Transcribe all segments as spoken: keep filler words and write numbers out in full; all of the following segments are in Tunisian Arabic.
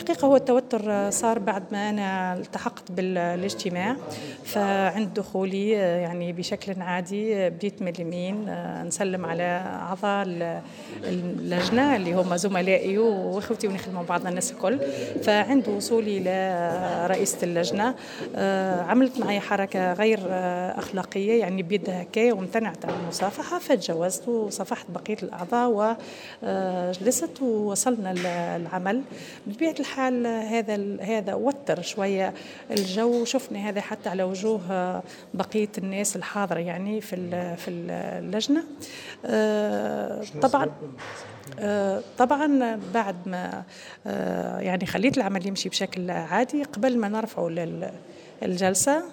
الحقيقة هو التوتر صار بعد ما أنا التحقت بالاجتماع، فعند دخولي يعني بشكل عادي بديت من اليمين نسلم على أعضاء اللجنة اللي هم زملائي وإخوتي ونخدموا بعضنا الناس الكل. فعند وصولي لرئيسة اللجنة عملت معي حركة غير أخلاقية، يعني بيدها هكايا، وامتنعت عن المصافحة، فتجاوزت وصافحت بقية الأعضاء وجلست ووصلنا العمل. بطبيعة الحال هذا هذا وتر شوية الجو، شفنا هذا حتى على وجوه بقية الناس الحاضرة يعني في في اللجنة. طبعا طبعا بعد ما يعني خليت العمل يمشي بشكل عادي، قبل ما نرفعه للجلسة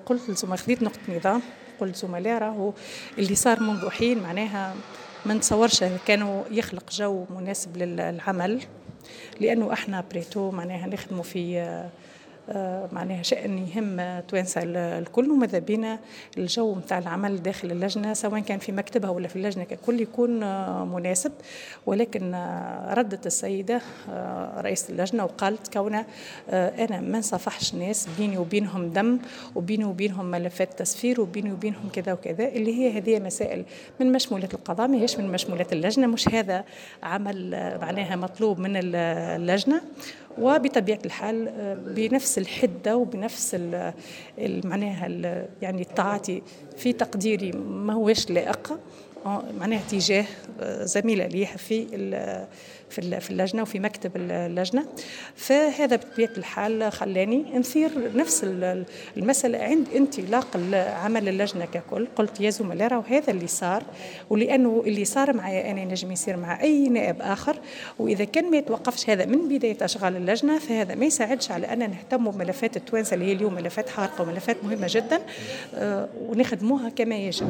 قلت لزملاء، خذيت نقطة نظام، قلت زملاء راهو اللي صار منذ حين معناها ما نتصورش كانوا يخلق جو مناسب للعمل، لأنه احنا après tout معناها نخدموا في معناها شأن يهم توانسة الكل، وماذا بينا الجو نتاع العمل داخل اللجنة سواء كان في مكتبها ولا في اللجنة ككل يكون مناسب. ولكن ردت السيدة رئيسة اللجنة وقالت كون أنا ما نصافحش ناس بيني وبينهم دم وبيني وبينهم ملفات تسفير وبيني وبينهم كذا وكذا، اللي هي هذه مسائل من مشمولات القضاء، ما هيش من مشمولات اللجنة، مش هذا عمل معناها مطلوب من اللجنة. وبطبيعة الحال بنفس الحدة وبنفس معناها يعني التعاطي في تقديري ما هوش لائق معناها تجاه زميلة لي في في اللجنة وفي مكتب اللجنة. فهذا بطبيعة الحال خلاني نثير نفس المسألة عند انطلاق عمل اللجنة ككل. قلت يا زملاء راهو هذا اللي صار، ولأنه اللي صار معي أنا نجم يصير مع أي نائب آخر، وإذا كان ما يتوقفش هذا من بداية أشغال اللجنة فهذا ما يساعدش على أن نهتم بملفات التوانسة اللي هي اليوم ملفات حارقة وملفات مهمة جدا ونخدموها كما يجب.